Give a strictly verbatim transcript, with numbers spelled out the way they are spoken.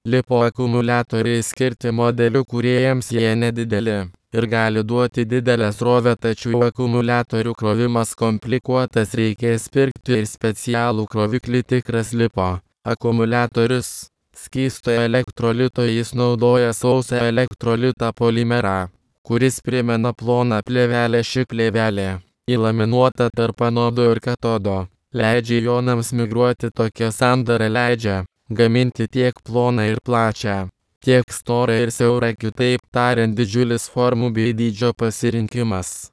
Lipo akumuliatoriai skirti modelių kūrėjams, jie nedideli ir gali duoti didelę srovę, tačiau akumuliatorių krovimas komplikuotas, reikės pirkti ir specialų kroviklį. Tikras lipo akumuliatorius skysto elektrolito, jis naudoja sausą elektrolitą polimerą, kuris primena ploną plėvelę. Ši plėvelė įlaminuota tarp anodo ir katodo, leidžia ionams migruoti. Tokia sandara leidžia gaminti tiek ploną ir plačią, tiek storą ir siaurą, kitaip tariant, didžiulis formų bei dydžio pasirinkimas.